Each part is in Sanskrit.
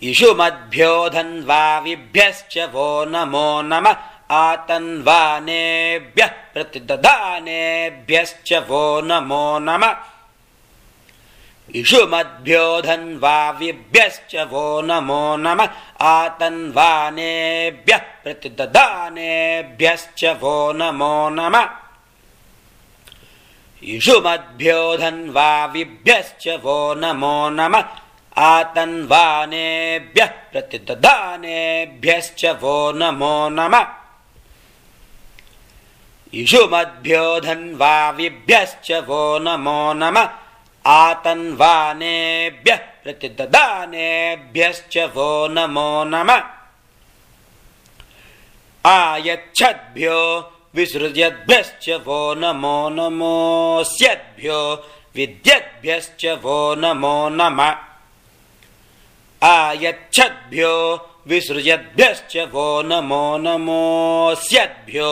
इषुमद्भ्यो धन्वाविभ्यश्च वो नमो नमः आतन्वानेभ्यः प्रतिदधानेभ्यश्च वो नमो नमः इषुमद्भ्यो धन्वाविभ्यश्च वो नमो नमः आतन्वानेभ्यः प्रतिदधानेभ्यश्च वो नमो नमः इषुमद्भ्यो धन्वाविभ्यश्च वो नमो नमः आतन्वानेभ्यः प्रतिदधानेभ्यश्च वो नमो नमः इषुमद्भ्यो धन्वाविभ्यश्च वो नमो नमः आतन्वानेभ्यः प्रतिदधानेभ्यश्च वो नमो नमः आयच्छद्भ्यो विसृज्यद्भ्यश्च वो नमो नमोऽस्यद्भ्यो विद्यद्भ्यश्च वो नमो नमः आयच्छद्भ्यो विसृज्यद्भ्यश्च वो नमो नमोऽस्यद्भ्यो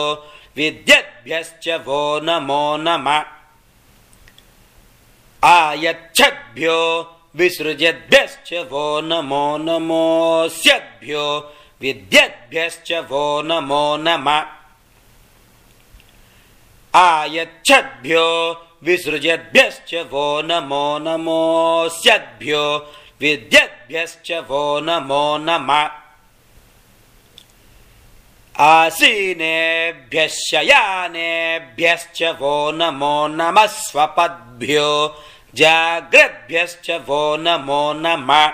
विद्यद्भ्यश्च वो नमो नमः आयच्छद्भ्यो विसृज्यद्भ्यश्च वो नमो नमोऽस्यद्भ्यो विद्यद्भ्यश्च वो नमो नमः आयच्छद्भ्यो विसृज्यद्भ्यश्च वो नमो नमोऽस्यद्भ्यो विद्यद्भ्यश्च वो नमो नमः आसीनेभ्यः शयानेभ्यश्च वो नमो नमः स्वपद्भ्यो जाग्रद्भ्यश्च वो नमो नमः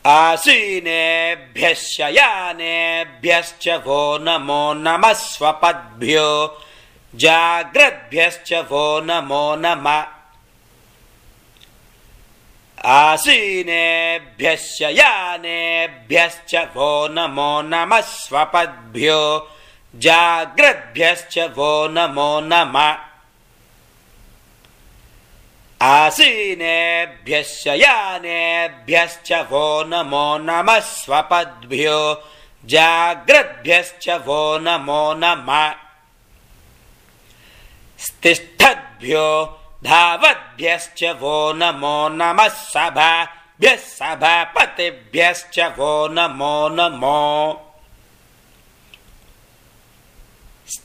आसीनेभ्यः शयानेभ्यश्च वो नमो नमः स्वपद्भ्यो जाग्रद्भ्यश्च वो नमो नमः आसीनेभ्यः शयानेभ्यश्च वो नमो नमः स्वपद्भ्यो जाग्रद्भ्यश्च वो नमो नमः आसीनेभ्यः शयानेभ्यश्च वो नमो नमः स्वपद्भ्यो जाग्रद्भ्यश्च वो नमो नमः तिष्ठद्भ्यो धावद्भ्यश्च वो नमो नमः सभाभ्यः सभापतिभ्यश्च वो नमो नमो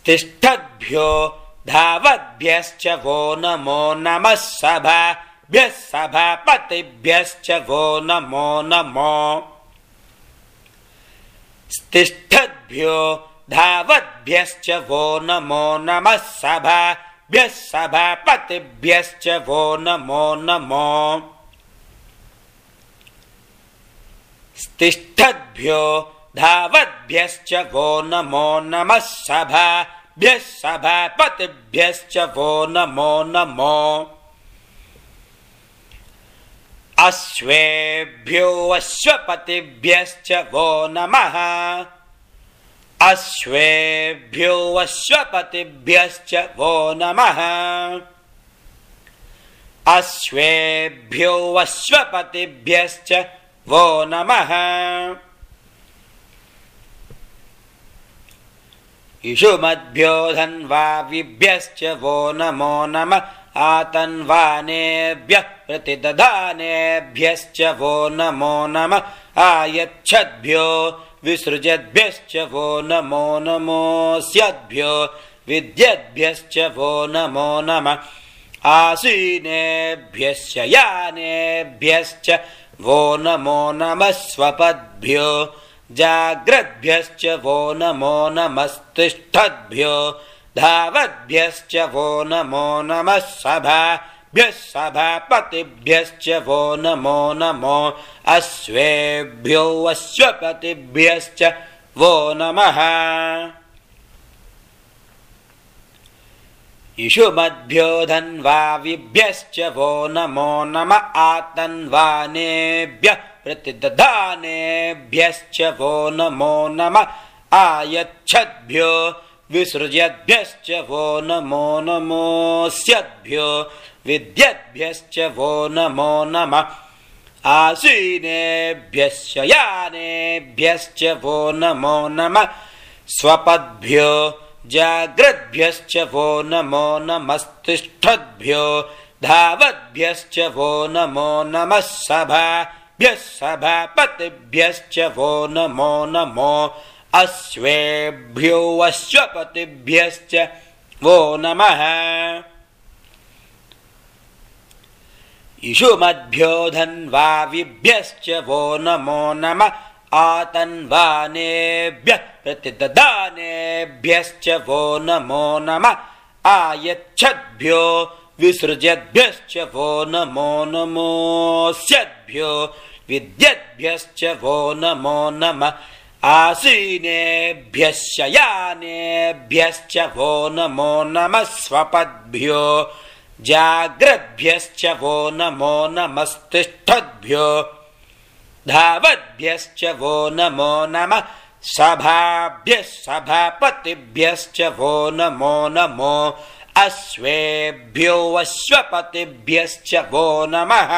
तिष्ठद्भ्यो धावद्भ्यश्च वो नमो नमः सभाभ्यः सभापतिभ्यश्च वो नमो नमो तिष्ठद्भ्यो धावद्भ्यश्च वो नमो नमः सभाभ्यः सभापतिभ्यश्च वो नमो नमो तिष्ठद्भ्यो धावद्भ्यश्च वो नमो नमः सभाभ्यः सभापतिभ्यश्च वो नमो नमो अश्वेभ्यो अश्वपतिभ्यश्च वो नमः अश्वेभ्यो अश्वपतिभ्यश्च वो नमः अश्वेभ्यो अश्वपतिभ्यश्च वो नमः इषुमद्भ्यो धन्वाविभ्यश्च वो नमो नमः आतन्वानेभ्यः प्रतिदधानेभ्यश्च वो नमो नमः आयच्छद्भ्यो विसृजद्भ्यश्च वो नमो नमोऽस्यद्भ्यो विद्यद्भ्यश्च वो नमो नमः आसीनेभ्यः शयानेभ्यश्च वो नमो नमः स्वपद्भ्यो जाग्रद्भ्यश्च वो नमो नमस्तिष्ठद्भ्यो धावद्भ्यश्च वो नमो नमः सभाभ्यः सभापतिभ्यश्च वो नमो नमो अश्वेभ्यो अश्वपतिभ्यश्च वो नमः इषुमद्भ्यो धन्वाविभ्यश्च वो नमो नमः आतन्वानेभ्यः प्रतिदधानेभ्यश्च वो नमो नमः आयच्छद्भ्यो विसृज्यद्भ्यश्च वो नमो नमोऽस्यद्भ्यो विद्यद्भ्यश्च वो नमो नमः आसीनेभ्यः शयानेभ्यश्च वो नमो नमः स्वपद्भ्यो जाग्रद्भ्यश्च वो नमो नमस्तिष्ठद्भ्यो धावद्भ्यश्च वो नमो नमः सभाभ्यः सभाभ्यः सभापतिभ्यश्च वो नमो नमो अश्वेभ्यो अश्वपतिभ्यश्च वो नमः इषुमद्भ्यो धन्वाविभ्यश्च वो नमो नमः आतन्वानेभ्यः प्रतिददानेभ्यश्च वो नमो नमः आयच्छद्भ्यो विसृजद्भ्यश्च वो नमो नमोऽस्यद्भ्यो विद्यद्भ्यश्च वो नमो नमः आसीनेभ्यः शयानेभ्यश्च वो नमो नमः स्वपद्भ्यो जाग्रद्भ्यश्च वो नमो नमस्तिष्ठद्भ्यो धावद्भ्यश्च वो नमो नमः सभाभ्यः सभापतिभ्यश्च वो नमो नमो अश्वेभ्यो अश्वपतिभ्यश्च वो नमः।